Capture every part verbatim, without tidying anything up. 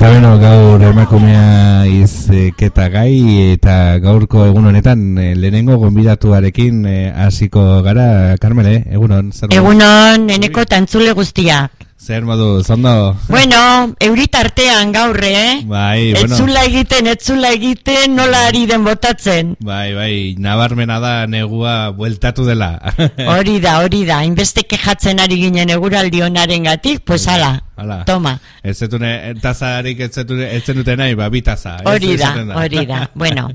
Eta beno, gaur emakumea izketa gai, eta gaurko egun honetan lehenengo gonbidatuarekin hasiko gara. Carmele, egunon. Egunon, eneko tantzule guztiak. Zer modu, zondo? Bueno, euritartean gaur, eh? Bai, bueno. Etzula egiten, etzula egiten, nola ari den botatzen. Bai, bai, nabarmena da negua bueltatu dela. Hori da, hori da, inbeste kejatzen ari ginen eguraldi honaren gatik, pues ala, ala. Toma. Ez zetune, tazarik ez zenute nahi, ba, bi taza. Hori da, hori da, bueno.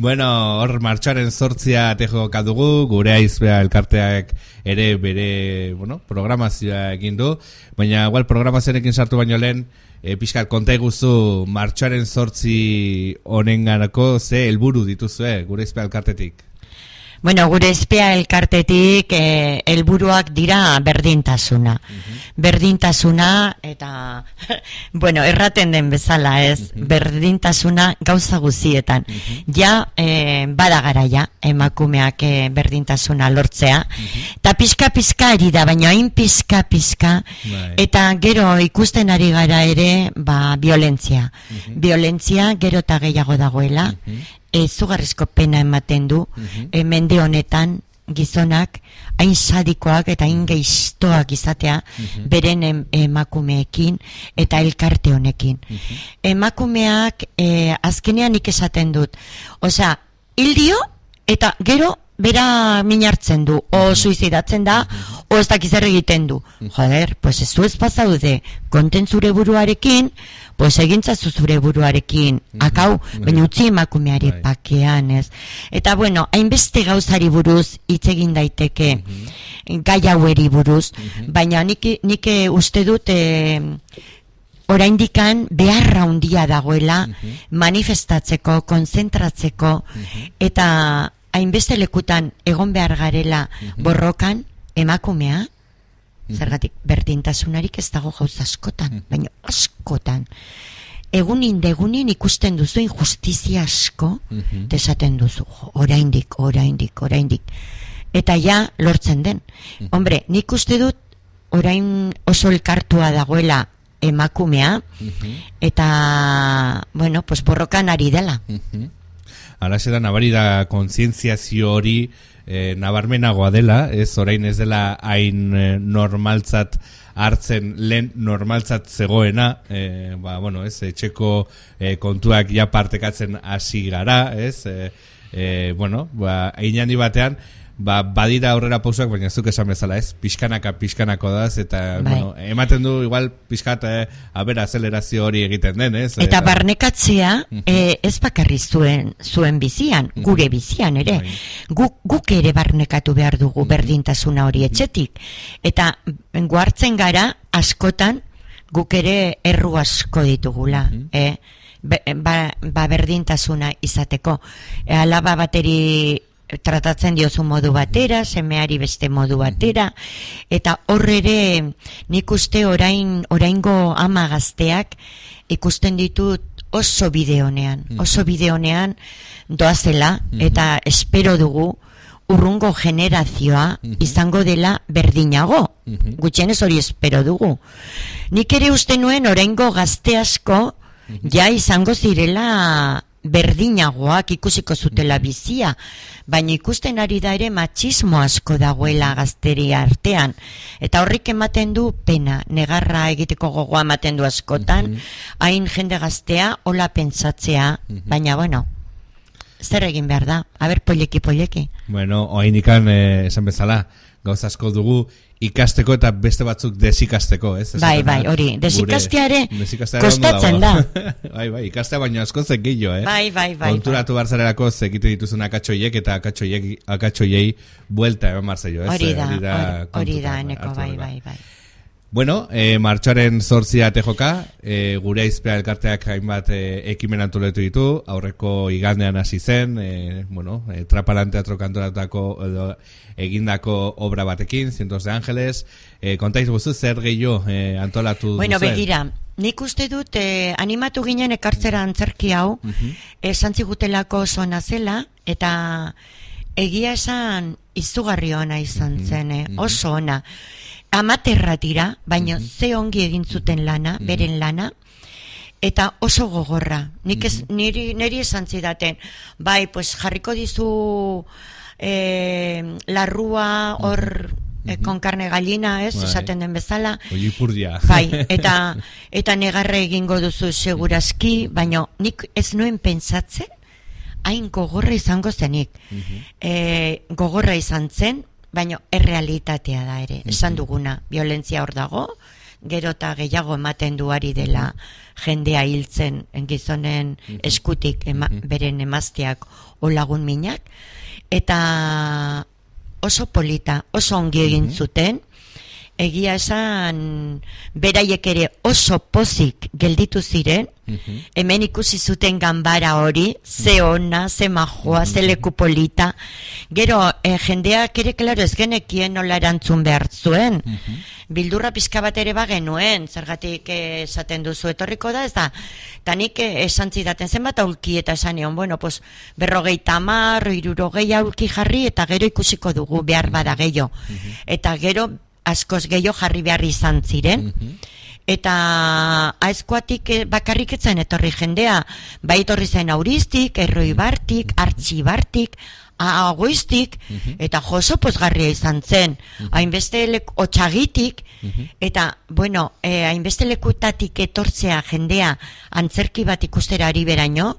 Bueno, hor martxoaren zortzia tejo kadugu, gure aizbea elkarteak ere bere, bueno, programazioa egin du, baina igual programazioarekin sartu baino lehen, e, pixkat konta iguzu martxoaren zortzi honenganako ze helburu dituzue gure aizbea elkartetik. Bueno, gure espea elkartetik eh, helburuak dira berdintasuna. Uh-huh. Berdintasuna eta, bueno, erraten den bezala ez, uh-huh. Berdintasuna gauza guzietan. Uh-huh. Ja, eh, bada garaia, emakumeak eh, berdintasuna lortzea. Uh-huh. Eta pizka-pizka ari da, baina hain pizka-pizka, right. Eta gero ikusten ari gara ere, ba, violentzia. Uh-huh. Violentzia gero eta gehiago dagoela. Uh-huh. Izugarrizko pena ematen du, uh-huh. e, mende honetan gizonak hain sadikoak eta hain geiztoak izatea uh-huh. beren em, emakumeekin eta elkarte honekin. Uh-huh. Emakumeak e, azkenean nik esaten dut, osea, hildio eta gero bera minartzen du, o suizidatzen da, o ez dakiz zer egiten du. Joder, pues ez du ez pasaude, konten zure buruarekin, pues egintzazu zure buruarekin, akau, baina utzi emakumeari pakean, ez. Eta bueno, hainbeste gauzari buruz hitz egin daiteke, gai haueri buruz, baina nik, nik uste dut, e, oraindikan beharra handia dagoela manifestatzeko, konzentratzeko, eta hainbeste lekutan egon behar garela borrokan emakumea, zergatik berdintasunarik ez dago gauz askotan, baina askotan. Egunin degunin ikusten duzu injustizia asko, desaten duzu, oraindik, oraindik, oraindik. Eta ja lortzen den. Hombre, nik uste dut orain oso elkartua dagoela emakumea, eta, bueno, pues borrokan ari dela. Alaxe da, nabari da kontzientziazio hori e, nabarmenagoa dela, ez orain ez dela hain e, normaltzat hartzen lehen normaltzat zegoena, e, ba, bueno, ez, etxeko e, kontuak ja partekatzen hasi gara, ez, e, e, bueno, ba, einandi batean, ba, badira aurrera pausak, baina zuk esan bezala, ez, pixkanaka, pixkanako daz, eta, bai. Bueno, ematen du, igual, pixkat, eh, abera, azelerazio hori egiten den, ez? Eta, eta barnekatzea, uh-huh. eh, ez bakarri zuen, zuen bizian, uh-huh. gure bizian, ere. Bai. Guk, guk ere barnekatu behar dugu uh-huh. berdintasuna hori etxetik. Eta, guartzen gara, askotan, guk ere erru asko ditugula, uh-huh. eh? Ba, ba berdintasuna izateko. E, alaba bateri tratatzen diozu modu batera, semeari beste modu batera, eta horrere nik uste orain, oraingo ama gazteak ikusten ditut oso bideonean, oso bideonean doazela, eta espero dugu urrungo generazioa izango dela berdinago, gutxienez hori espero dugu. Nik ere uste nuen oraingo gazte asko ja izango zirela berdinagoak, ikusiko zutela bizia, baina ikusten ari da ere matxismo asko dagoela gazteri artean, eta horrik ematen du pena, negarra egiteko gogoa ematen du askotan, hain jende gaztea hola pentsatzea, baina bueno, zer egin behar da, aber poleki poleki. Bueno, oain ikan eh, esan bezala, gauz asko dugu ikasteko eta beste batzuk desikasteko, ez? Bai, bai, hori, desikasteare kostatzen da. Bai, bai, ikastea baino asko zek gillo, eh? Bai, bai, bai. Konturatu barzarerako zekite dituzun akatxoiek eta akatxoiei buelta eman marzaio, ez? Hori da, hori da, eneko, bai, bai, bai. Bueno, eh, martxoaren zortzia tejoka, eh, gure aizpea elkarteak hainbat eh, ekimen antoletu ditu, aurreko igandean hasi zen, eh, bueno, eh, Trapalan teatro kantoratako edo egindako obra batekin, Cientos de Ángeles, eh, kontaiz guzu zer gehiago eh, antolatu bueno, duzen? Bueno, begira, nik uste dut eh, animatu ginen ekartzera antzerki hau, uh-huh. esan zigutelako oso nazela, eta egia esan izugarri ona izan zen, eh, uh-huh. oso ona. Amaterra dira, baina uh-huh. ze ongi egin zuten lana, uh-huh. beren lana, eta oso gogorra. Nik ez, niri, niri esan zidaten, bai, pues jarriko dizu eh, larrua hor eh, con carne gallina, ez, esaten den bezala. Ollipurdia. Bai, eta, eta negarre egingo duzu segurazki, baina nik ez nuen pentsatzen, hain gogorra izango zenik. eh, gogorra izan zen, baina errealitatea da ere, esan duguna, violentzia hor dago, gero eta gehiago ematen duari dela jendea hiltzen gizonen eskutik ema, beren emazteak o lagun minak, eta oso polita, oso ongi egin zuten, egia esan beraiek ere oso pozik gelditu ziren, hemen ikusi zuten ganbara hori, ze ona, ze majoa, ze leku polita, gero eh, jendeak ere, klaro, ez genekien nola erantzun behar zuen, bildurra pizka bat ere bagenuen, zergatik esaten duzu etorriko da, ez da, eta nik esan zidaten zenbat aulki eta esan egon, bueno, pues, berrogeita hamar, hirurogei aulki jarri, eta gero ikusiko dugu behar bada gehiago, eta gero askoz gehiago jarri behar izan ziren, eta aizkoatik bakarrik etzen etorri jendea, bai etorri zen Auristik, Erroibartik, Artxibartik, Agoiztik, eta joso pozgarria izan zen, hainbeste leku, Otxagitik, eta, bueno, eh, hainbeste lekutatik etortzea jendea antzerki bat ikustera ari beraino,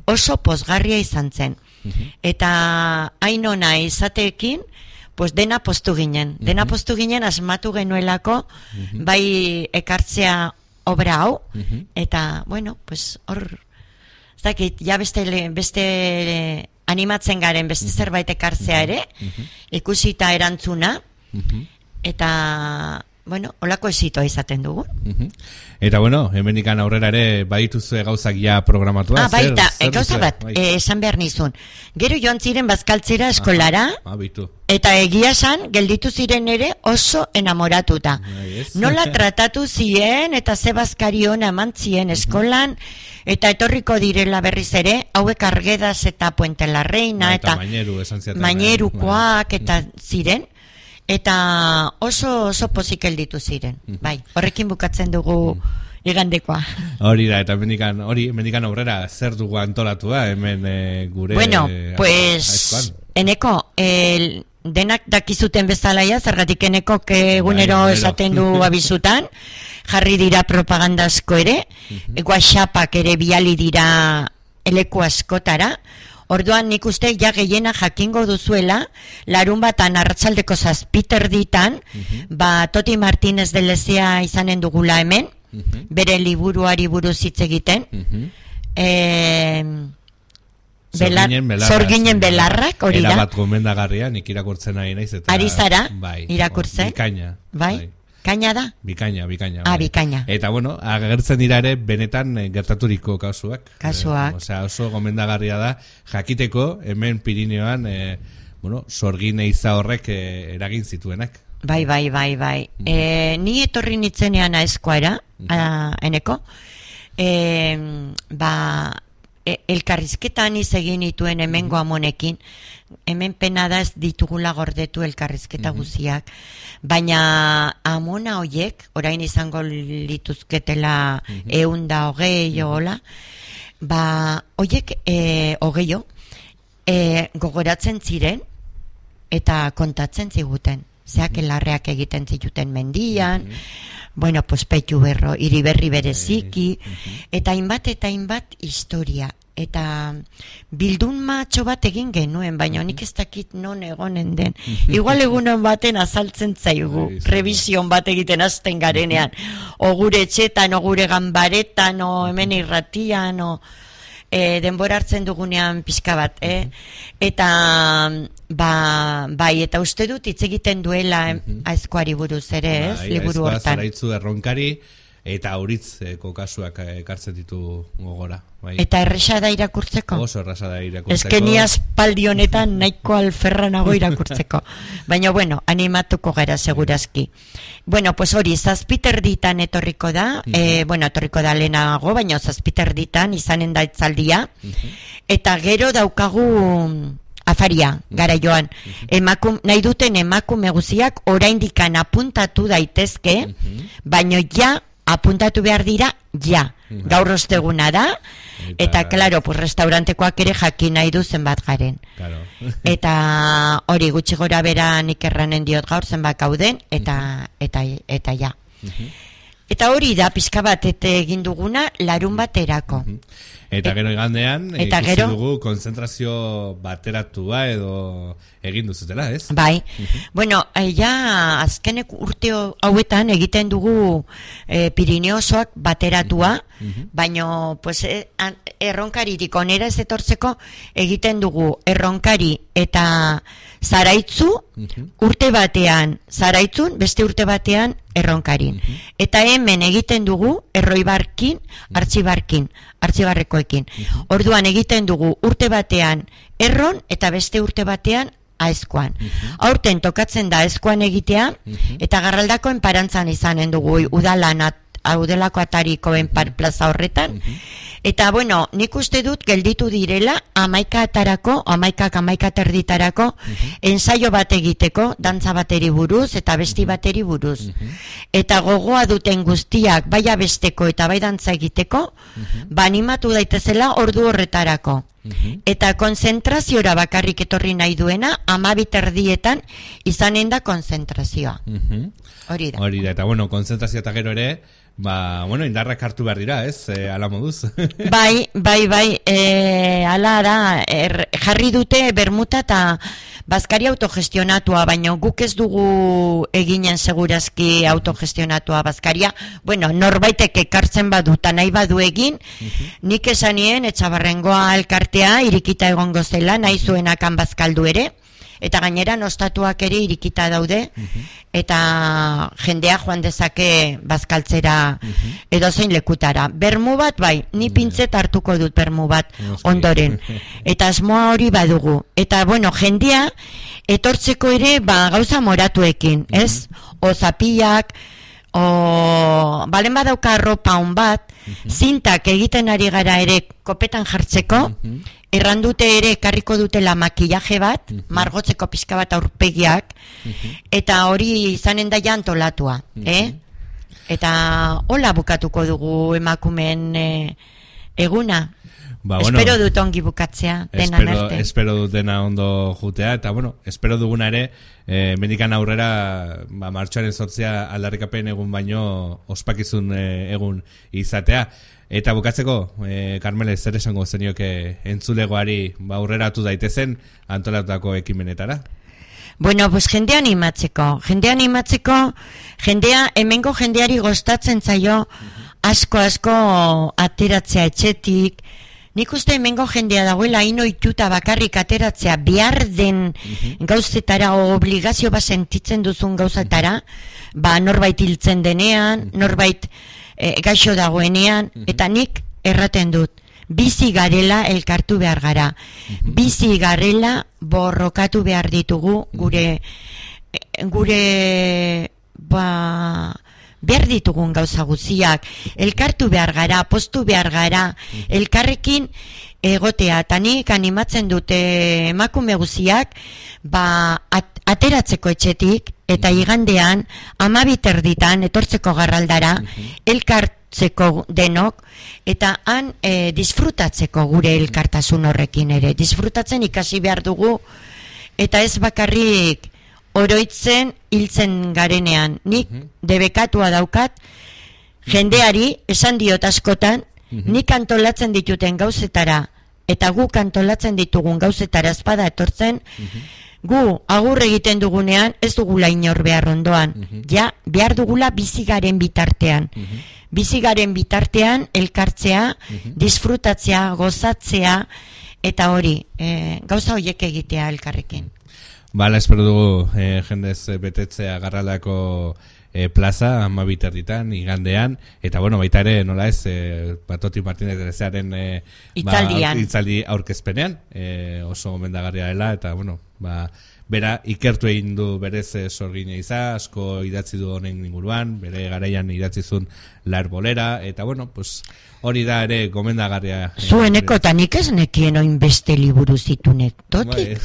oso pozgarria izan zen, eta hain ona izateekin, pues dena postu ginen, dena postu ginen asmatu genuelako, bai ekartzea obra hau, eta, bueno, pues hor, ez dakit, ja beste, beste animatzen garen, beste zerbait ekartzea ere, ikusita erantzuna, eta, bueno, holako esitoa izaten dugu. Eta, bueno, hemenikan aurrera ere badituzue gauzak ja programatua. Ah, baita, gauza bat, esan behar nizun. Gero joan ziren bazkaltzera eskolara, eta egia esan, gelditu ziren ere oso enamoratuta. Nola tratatu ziren, eta ze bazkari hona eman ziren eskolan, eta etorriko direla berriz ere, hauek Arguedas eta Puente la Reina, eta Mainerukoak, eta ziren, eta oso oso pozik gelditu ziren. Bai, horrekin bukatzen dugu igandekoa. Hori da, eta mendikan, hori, mendikan aurrera zer dugu antolatua, hemen e, gure... Bueno, pues, eneko, el, denak dakizuten bezalaia, zergatik eneko egunero esaten du abizutan, jarri dira propagandazko ere, WhatsAppak ere biali dira eleku askotara, orduan nik uste ja gehiena jakingo duzuela, larun batan arratsaldeko zazpiter ditan, ba Toti Martínez de Lezea izanen dugula hemen, bere liburuari buruz hitz egiten, Zorginen belarrak, hori da. Erabat gomendagarria, nik irakurtzen ari naiz. Ari zara, irakurtzen? Bikaina. Bai? Kaina da? Bikaina, bikaina. Ah, bikaina. Eta bueno, agertzen dira ere benetan gertaturiko kasuak. Kasuak. Eh, Osea, oso gomendagarria da jakiteko hemen Pirineoan, eh, bueno, Sorgin eiza horrek eh, eragin zituenak. Bai, bai, bai, bai. Mm. Eh, ni etorri nitzenean aezkoara, mm. eneko, eh, ba, elkarrizketan izegin ituen hemengo amonekin, hemen pena da ez ditugula gordetu elkarrizketa guziak, baina amona hoiek, orain izango lituzketela eunda hogei hola, ba, hoiek e, hogeio e, gogoratzen ziren eta kontatzen ziguten, zeak elarreak egiten zituten mendian, bueno, pues Petu Berro, Iriberri bereziki, eta hainbat eta hainbat historia. Eta bildun matxo bat egin genuen, baina nik ez dakit non egonen den. Igual egunon baten azaltzen zaigu, revision bat egiten azten garenean. O gure etxetan, o gure ganbaretan, o hemen irratian, o e, denbora hartzen dugunean pixka bat. Eh? Eta ba, bai, eta uste dut hitz egiten duela aizkoari buruz ere, ez? Liburu hortan. Zaraitzu erronkari, eta auritzeko kasuak ekartzen ditu gogora. Bai. Eta erresa da irakurtzeko? Oso erresa da irakurtzeko. Ez que ni aspaldi honetan nahiko alferranago irakurtzeko. Baina, bueno, animatuko gara segurazki. Bueno, pues hori, zazpiter ditan etorriko da, uh-huh. eh, bueno, etorriko da lehenago, baina zazpiter ditan izanen da itzaldia, uh-huh. eta gero daukagu afaria, gara joan. Uh-huh. Emakum, nahi duten emakume guziak oraindikan apuntatu daitezke, uh-huh. baina ja apuntatu behar dira ja, gaur osteguna da, eta, klaro, pues, restaurantekoak ere jakin nahi du zenbat garen. Claro. Eta hori gutxi gora bera nik erranen diot gaur zenbat gauden, eta, eta, eta ja. Eta hori da pizka bat egin duguna larun baterako. Eta gero igandean, eta ikusi gero, dugu konzentrazio bateratua edo egin duzutela, ez? Bai, bueno, ja azkenek urte hauetan egiten dugu eh, Pirineosoak bateratua, baino pues, eh, erronkaririk onera ez etortzeko egiten dugu erronkari eta Zaraitzu, urte batean Zaraitzun, beste urte batean erronkarin. Eta hemen egiten dugu erroibarkin, artxibarkin, artxibarrekoekin. Orduan egiten dugu urte batean erron eta beste urte batean aezkoan. Aurten tokatzen da aezkoan egitea, eta Garraldakoen parantzan izanen dugu udalan audelako atarikoen plaza horretan. Eta, bueno, nik uste dut gelditu direla amaika atarako, amaikak amaika terditarako, ensaio bat egiteko, dantza bateri buruz eta besti bateri buruz. Eta gogoa duten guztiak, bai abesteko eta bai dantza egiteko, ba animatu daitezela ordu horretarako. Eta konzentraziora bakarrik etorri nahi duena, amabi terdietan izanen da konzentrazioa. Hori da. Hori da, eta bueno, konzentrazio eta gero ere, ba, bueno, indarrak hartu behar dira, ez, e, ala moduz. Bai, bai, bai, e, ala da, er, jarri dute bermuta eta bazkari autogestionatua, baina guk ez dugu eginen segurazki autogestionatua bazkaria, bueno, norbaitek ekartzen baduta nahi badu egin, nik esanien etxabarrengoa elkartea irikita egongo zela, nahi zuenakan bazkaldu ere, eta gainera nostatuak ere irikita daude, eta jendea joan dezake bazkaltzera edozein lekutara. Bermu bat bai, ni pintzet hartuko dut bermu bat ondoren. Eta asmoa hori badugu. Eta bueno, jendea etortzeko ere ba, gauza moratuekin, ez? O zapiak, o balen badauka arropa on bat, zintak egiten ari gara ere kopetan jartzeko, errandute ere ekarriko dutela makillaje bat, margotzeko pizka bat aurpegiak, eta hori izanen da antolatua, eh? Eta hola bukatuko dugu emakumeen eh, eguna. Ba, bueno, espero dut ongi bukatzea, dena espero, espero dut dena ondo jutea, eta bueno, espero duguna ere, eh, mendikan aurrera, ba, martxoaren sortzea aldarrikapen egun baino ospakizun eh, egun izatea. Eta bukatzeko, eh, Karmele, zer esango zenioke entzulegoari ba, aurreratu daitezen antolatutako ekimenetara? Bueno, pues jendea animatzeko, jendea animatzeko, jendea, hemengo jendeari gostatzen zaio, asko asko ateratzea etxetik. Nik uste hemengo jendea dagoela inoituta bakarrik ateratzea behar den gauzetara o obligazio bat sentitzen duzun gauzatara, ba norbait hiltzen denean, norbait e, gaixo dagoenean, eta nik erraten dut, bizi garela elkartu behar gara, bizi garela borrokatu behar ditugu gure, gure, ba... behar ditugun gauza guziak, elkartu behar gara, postu behar gara, elkarrekin egotea, eta nik animatzen dute emakume guziak, ba, at, ateratzeko etxetik, eta igandean, amabi terditan, etortzeko Garraldara, elkartzeko denok, eta han e, disfrutatzeko gure elkartasun horrekin ere, disfrutatzen ikasi behar dugu, eta ez bakarrik, oroitzen hiltzen garenean. Nik debekatua daukat, jendeari esan diot askotan, nik antolatzen dituten gauzetara, eta guk antolatzen ditugun gauzetara espada etortzen, gu agur egiten dugunean ez dugula inor behar ondoan. Ja, behar dugula bizigaren bitartean. Bizigaren bitartean elkartzea, disfrutatzea, gozatzea, eta hori, e, gauza horiek egitea elkarrekin. Bala, espero dugu eh, jendez betetzea Garraldako eh, plaza, amabi terditan, igandean, eta bueno, baita ere, nola ez, eh, Patoti Martínez Ezearen eh, itzaldian. Ba, itzaldi aurkezpenean, eh, oso gomendagarria dela, eta bueno, ba, bera ikertu egin du berez eh, sorgine iza, asko idatzi du honen inguruan, bere garaian idatzi zuen La Herbolera, eta bueno, pues hori da ere gomendagarria. Zueneko eta nik ez nekien oin beste liburu zitunek, totik?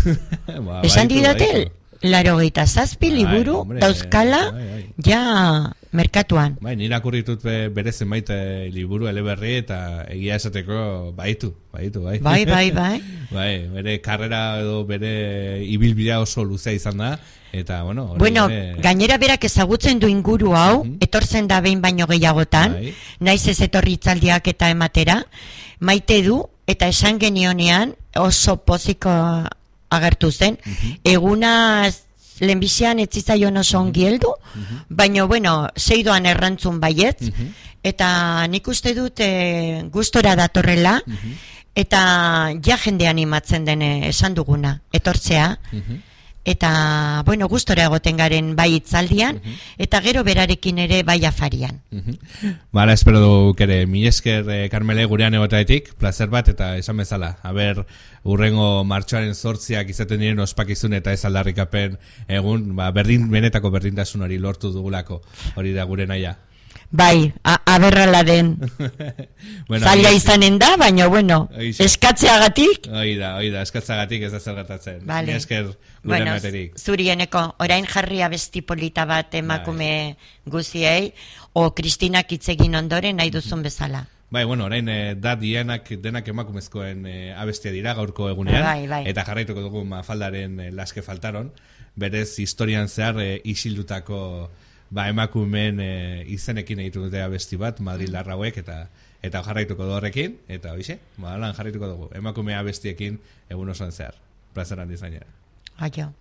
Ba, esan didatel? laro geita zazpi liburu hombre, dauzkala bai, bai. ja merkatuan. Bai, nire akurritut bere zenbait liburu eleberri eta egia esateko baitu, baitu, bai. Bai, bai, bai. Bai, bere karrera edo bere ibilbidea oso luzea izan da, eta, bueno... Bueno, bere... gainera berak ezagutzen du inguru hau, uh-huh. etortzen da behin baino gehiagotan, bai. Naiz ez etorri itzaldiak eta ematera, maite du, eta esan genionean oso poziko agertu zen, uh-huh. eguna lehenbizian ez zitzaion oso ongi heldu, uh-huh. baina, bueno, zeidoan errantzun baiet, uh-huh. eta nik uste dut e, gustora datorrela, uh-huh. eta ja jende animatzen den esan duguna, etortzea, uh-huh. eta, bueno, gustora egoten garen bai itzaldian, uh-huh. eta gero berarekin ere bai afarian. Uh-huh. Bala, espero duk ere, mi esker eh, Karmele gurean egotaetik, placer bat, eta esan bezala, haber urrengo martxoaren zortziak izaten diren ospakizun eta ez aldarrikapen egun, ba, berdin, benetako berdintasun hori lortu dugulako, hori da gure naia. Bai, aberrala den bueno, zaila izanen da, baina bueno, eskatzeagatik Hoi da, hoi da, eskatzeagatik ez da zer gertatzen vale. Mi esker gure bueno, materik zurieneko, orain jarri abesti polita bat emakume bai. Guziei o Kristinak hitzegin ondoren nahi duzun bezala. Bai, bueno, orain eh, da dienak denak emakumezkoen eh, abestia dira gaurko egunean bai, bai. Eta jarraituko dugu Mafaldaren eh, Laske faltaron, berez historian zehar eh, isildutako ba, emakumeen e, izenekin egitu dute abesti bat, Madrid larrauek, eta eta jarraituko du horrekin, eta hoize, ba, lan jarraituko dugu, emakumea abestiekin egun osoan zehar. Plazer handi zainera. Aio.